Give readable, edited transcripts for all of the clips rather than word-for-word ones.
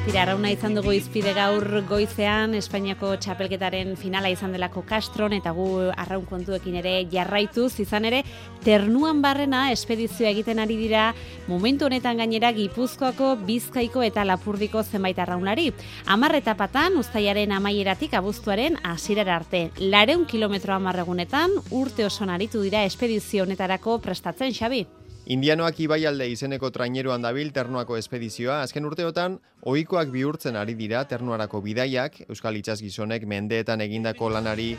Tira, arrauna izan dugu izpide gaur goizean, Espainiako txapelketaren finala izan delako Castron, eta gu arraun kontuekin ere jarraituz, izan ere, Ternuan barrena espedizioa egiten ari dira, momentu honetan gainera Gipuzkoako, Bizkaiko eta Lapurdiko zenbait arraunlari. 10 etapatan, uztailaren amaieratik abuztuaren hasierara arte. 200 kilometro 10 egunetan, urte osoan aritu dira espedizio honetarako prestatzen, Xabi. Indianoak ibaialde izeneko traineruan dabil Ternuako espedizioa. Azken urteotan, ohikoak bihurtzen ari dira Ternuarako bidaiak, Euskal Itsasgizonek mendeetan egindako lanari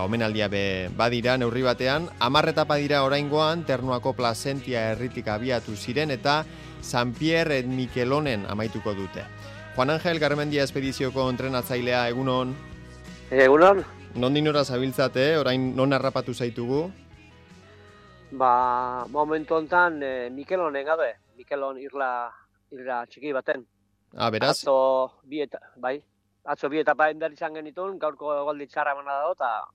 omenaldia badira neurri batean. 10 etapa dira oraingoan, Ternuako Plazentia herritik abiatu ziren eta San Pierre et Miquelonen amaituko dute. Juan Angel Garmendia espedizioko entrenatzailea, egunon? Egunon? Nondik nora zabiltzate, orain non harrapatu zaitugu? Momentu honetan Mikelonen gabe, Mikelon irla txiki baten. Beraz? Atzo bi etapa ender izan genitun, gaurko goldi txarra emana dago, eta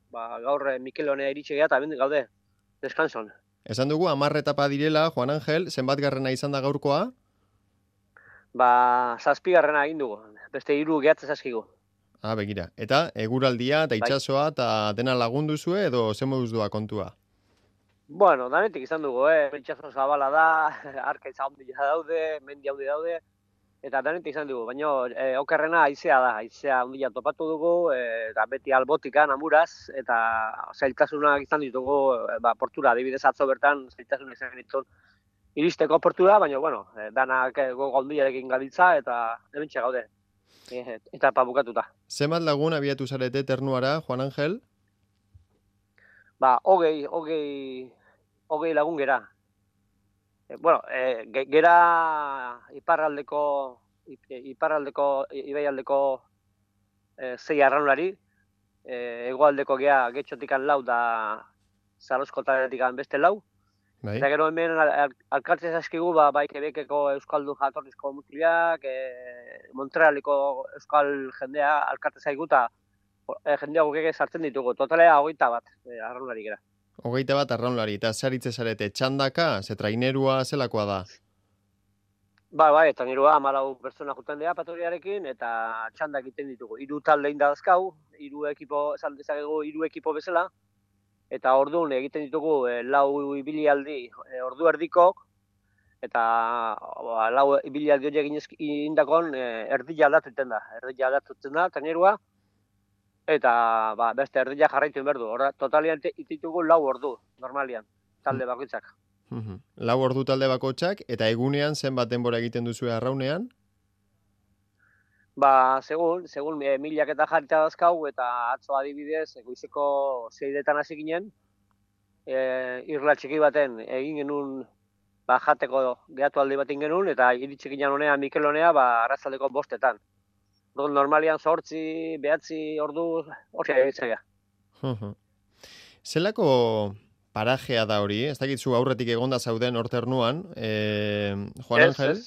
gaur Mikelonea iritsi geha, eta bendik gaude, deskanson. Esan dugu, 10 etapa direla, Juan Angel, zenbat garrena izan da gaurkoa? 7 garrena egin dugu, beste 3 gehatzen zaskigu. Begira. Eta eguraldia eta itsasoa eta dena lagundu zue edo zen moduz doa kontua? Bueno, danetik izan dugu, itsaso zabala da, arkaitza handia daude, mendi handi daude, eta danetik izan dugu, baina okerrena haizea da, haizea handia topatu dugu, eta beti albotikan, amuraz, eta zailtasunak izan ditugu, portura, adibidez atzo bertan, zailtasunak izan ditun iristeko portura, baina, bueno, danak gogo handiarekin gabiltza, eta hementxe gaude, eta bukatuta. Zenbat lagun abiatu zarete Ternuara, Juan Angel? 20 lagun gera. Gera iparraldeko ibaialdeko 6 arraunlari, hegoaldeko gea getxotikan 4 da Zarozkotatik beste 4. Bai. Eta gero hemen alkartze zaskigu, bai Quebeceko euskaldun jatorrizko mutiliak, Montrealiko euskal jendea alkartze zaigu, eta jendea gukeke sartzen ditugu. Totalea 21 arraunlari gera. 21 arraunlari, eta zaritze zarete txandaka, ze trainerua zelakoa da? Bai, trainerua 14 pertsona juten dira patoriarekin, eta txandak egiten ditugu. 3 talde indazkau, 3 ekipo bezala, eta orduan egiten ditugu 4 ibilialdi ordu erdikok, eta 4 ibilialdi horiek indakon erdila aldatutzen da, trainerua, eta beste erdila jarraitu behar du. Totalian ditugu 4 ordu, normalian, talde bakoitzak. 4 ordu talde bakoitzak, eta egunean zenbat denbora egiten duzu arraunean? Segun milak eta jarrita dazkau, eta atzo adibidez, goizeko 6etan hasi ginen, irla txiki baten egin genuen, jateko gehatu aldi bat egin genuen, eta iritsi ginen honean Mikelonea, arratzaldeko 5etan. Normalian 8, 9 ordu, hori egitzea. Zelako parajea da hori? Ez dakitzu aurretik egonda zauden hor Ternuan, Juan Angel?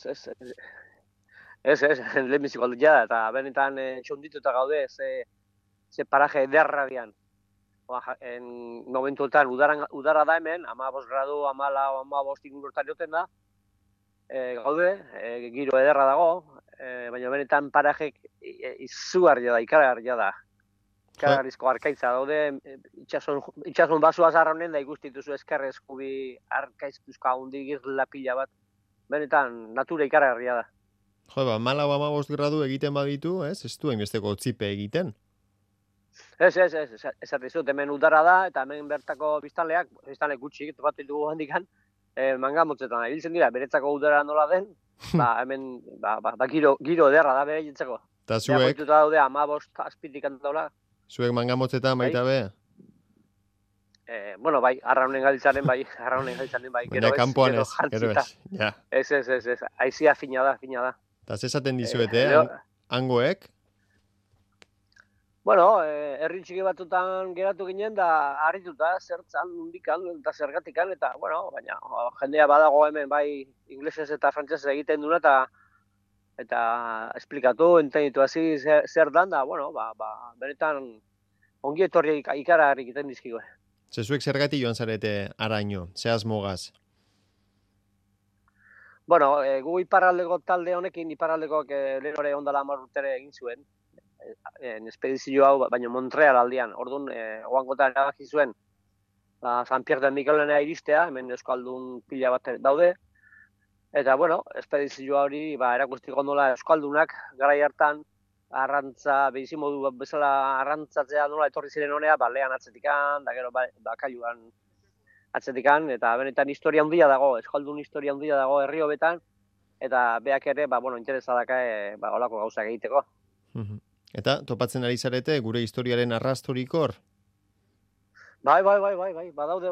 Ez, lehenbiziko aldia da, eta benetan txondituta gaude, ze paraje ederra dian. Momentuetan udara da hemen, 15 gradu, 14 ingurtan joten da, gaude, giro ederra dago, baina benetan parajek izugarria da, ikaragarria da. Ikaragarrizko arkaitza daude, itxasun basua zarronen da ikustituzu eskerre eskubi arkaiztuzka hundi girla pila bat. Benetan, natura ikaragarria da. 14-15 gradu egiten baditu, ez duen besteko otzipe egiten? Ez, esatizut, hemen udara da, eta hemen bertako biztanleak gutxi, topatu ditugu handikan, mangamotzetan ibiltzen dira, beretzako udara nola den, hemen giro ederra da bere jentzeko. Eta zuek? Beakoituta daude 15 azpitik antola. Zuek mangamotzetan baita be? Bai, arraunen galitzaren bai. Baina kanpoan ez, gero ez. Ez, aizia fina da. Eta zezaten dizuete, hangoek? Herri txiki batutan geratu ginen da harrituta, zertzan, undikan, eta zergatikan, eta, baina jendea badago hemen bai inglesez eta frantsesez egiten duna, eta esplikatu, entenditu hasi zer dan, da, benetan ongi etorri ikaragarri egiten dizkigu. Zezuek zergatik joan zarete araño, ze asmogaz? Bueno, gu iparraldeko talde honekin, iparraldekoak lehen hori ondala 10 urtere egin zuen, espedizio hau, baina Montreal aldian. Orduan, oangotan erabaki zuen, San Pierre de Miquelena iristea, hemen euskaldun pila bat daude. Eta, bueno, espedizioa hori erakustiko nola euskaldunak garai hartan arrantza, behizimodu bezala arrantzatzea nola etorri ziren honea, lehan atzetikan, da gero bakailuan atzetikan, eta benetan historia handia dago, euskaldun historia handia dago herri hobetan, eta beak ere, interesa daka, olako gauzak egiteko. Eta topatzen ari zarete gure historiaren arrastorik hor? Bai, badaude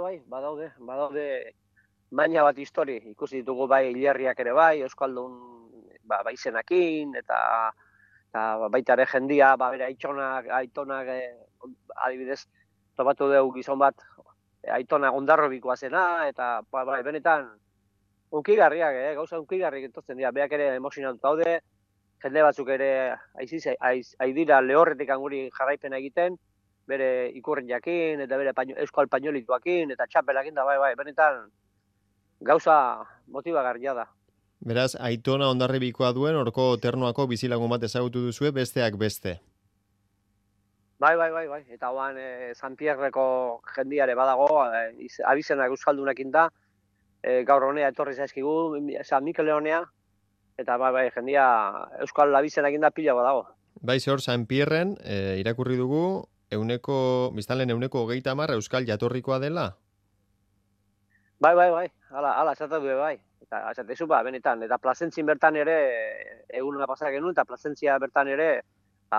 baina bat histori, ikusi ditugu hilerriak ere euskaldun baizenakin, eta baita ere jendia, bere aitonak, adibidez, topatu dugu gizon bat, aitona Ondarrobikoa zena, eta benetan, unkigarriak, gauza unkigarriak entotzen dira, beak ere emozionatu daude, jende batzuk ere aidira lehorretik anguri jarraipena egiten, bere ikurriakin, eta bere euskal pañolituakin, eta txapelakin da, benetan, gauza motibagarria da. Beraz, aitona Hondarribikoa duen, orko Ternuako bizilagun bat ezagutu duzue, besteak beste. Bai. Eta hoan San Pierreko jendiare badago, abizenak euskaldunekin da, gaur honea etorri zaizkigu, San Mikel honea, eta jendia euskal abizenakin da pila badago. Bai, hor San Pierren, irakurri dugu, biztanleen 30% euskal jatorrikoa dela? Bai, hala esatu du bai. Eta esatezu benetan, eta Plazentzin bertan ere, eguna pasak genuen, eta Plazentzia bertan ere,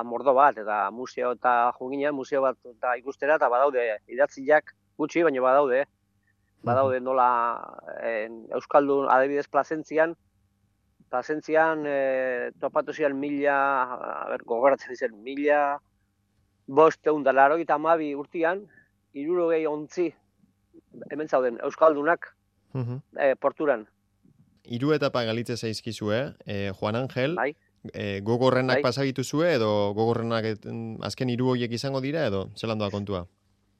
mordo bat, eta museo eta junginean, museo bat eta ikustera, eta badaude, idatziak gutxi, baina badaude. Badaude nola euskaldun, adibidez Plazentzian topatu ziren gogoratzen dizen, 1582 urtean, 60 ontzi, hemen zauden, euskaldunak porturan. 3 etapa galitze zaizkizue, Juan Angel, Bai. Gogorrenak pasagitu zue, edo gogorrenak azken 3 horiek izango dira, edo zelan doa kontua?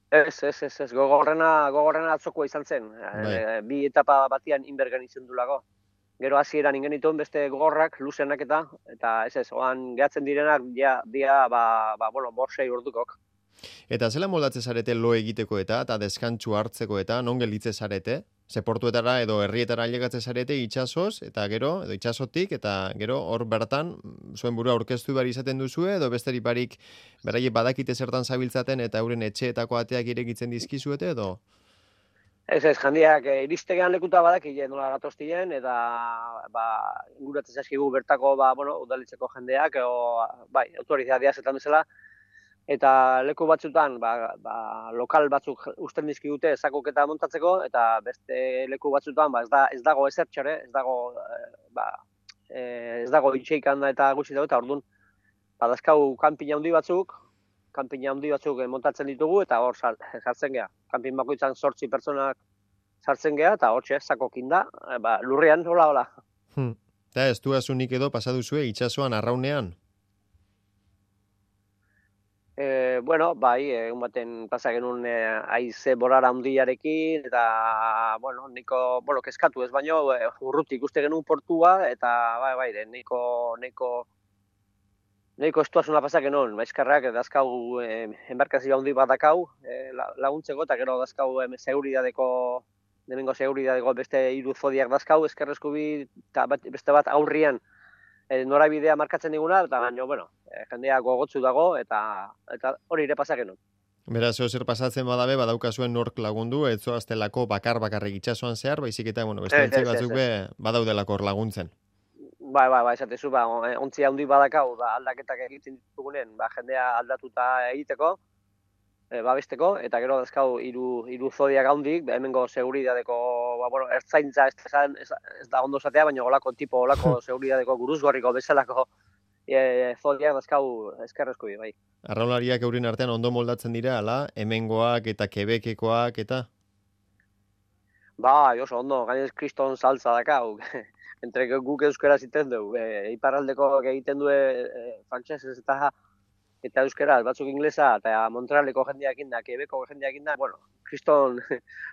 Ez, gogorrena atzokoa izan zen. 2 etapa batian inbergen izan dulago. Gero hasieran ingenituen beste gogorrak, luzenak eta oan gehatzen direnak, borsei urdukok. Eta zela moldatze zarete lo egiteko eta deskantsu hartzeko eta non gelitze zarete? Ze portuetara edo herrietara ailegatze zarete itsasoz eta gero, edo itsasotik, eta gero hor bertan zuen burua aurkeztu behar izaten duzue, edo besterik barik beraie badakite zertan zabiltzaten eta euren etxeetako ateak irekitzen dizkizuete edo? Ez, jendiak iristegean lekuta badakile nola gatoztien, eta inguratzen zaizkigu bertako udalitzeko jendeak, autorizadia zetan bezala, eta leku batzutan lokal batzuk usten dizkigute zakoketa montatzeko, eta beste leku batzutan ez dago ezertxore, ez dago itxeikan da eta gutxi dago, eta orduan badazkau kanpina handi batzuk montatzen ditugu, eta hor sartzen geha. Kanpin bakoitzan 8 pertsonak sartzen geha, eta hor zakokin da, lurrean, hola. Eta ez du azunik edo pasaduzue itsasoan arraunean? Egun baten pasa genuen haize borara handiarekin, eta, niko kezkatu ez baino, urrutik uste genuen portua, eta, nahiko estuazuna pasa genuen, maizkarrak, dazkau enbarkazio handi bat dakau laguntzeko, eta gero dazkau seguridadeko beste 3 zodiak dazkau, eskerrezko bi, eta beste bat aurrian norabidea markatzen diguna, eta jendea gogotzu dago, eta hori ere pasa genuen. Beraz, zer pasatzen badabe, badaukazuen nork lagundu, ez zoaztelako bakarrik itsasoan zehar, baizik eta, beste ontzi batzuk badaudelako hor laguntzen. Bai, esatezu, ontzi handi badakau, aldaketak egiten ditugunen, jendea aldatuta egiteko, babesteko, eta gero dazkau 3 zodiak handik, hemengo seguridadeko, ertzaintza ez da ondo zatea, baina olako seguridadeko guruzgorriko bezalako zodiak dazkau eskerrezko bi, bai. Arraunlariak eurin artean ondo moldatzen dira, ala, hemengoak eta Quebekekoak eta? Bai, oso ondo, gainez kriston saltza dakau. Entre guk euskara ziten dugu, iparraldeko egiten du frantsesez eta eta euskera, batzuk inglesa, eta Montrealeko jendeakin da, Quebecko jendeakin da, bueno, kriston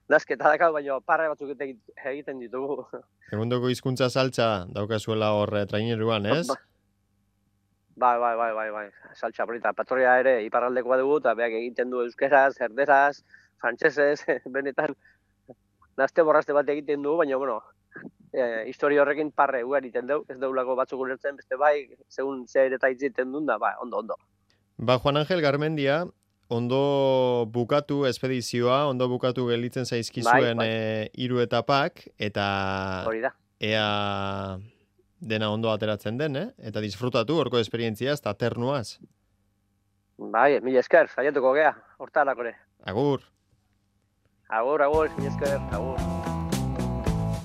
nazketa dakau, baina parre batzuk egiten ditugu. Egundoko hizkuntza saltza daukazuela hor traineruan, ez? Bai. Saltza polita. Patroia ere iparraldekoa dugu, eta beak egiten du euskeraz, erderaz, frantsesez, benetan nazte borraste bat egiten dugu, baina, bueno, historia horrekin parre ugari egiten dugu, ez deulako batzuk ulertzen, beste bai, segun zer eta egiten duen da, ba, ondo. Ba, Juan Angel Garmendia, ondo bukatu espedizioa, ondo bukatu gelditzen zaizkizuen hiru etapak, eta hori da. Ea dena ondo ateratzen den, eta disfrutatu horko esperientziaz, eta ternuaz. Bai, mila esker, saiatuko gea, hortarako ere. Agur. Agur, mila esker, agur.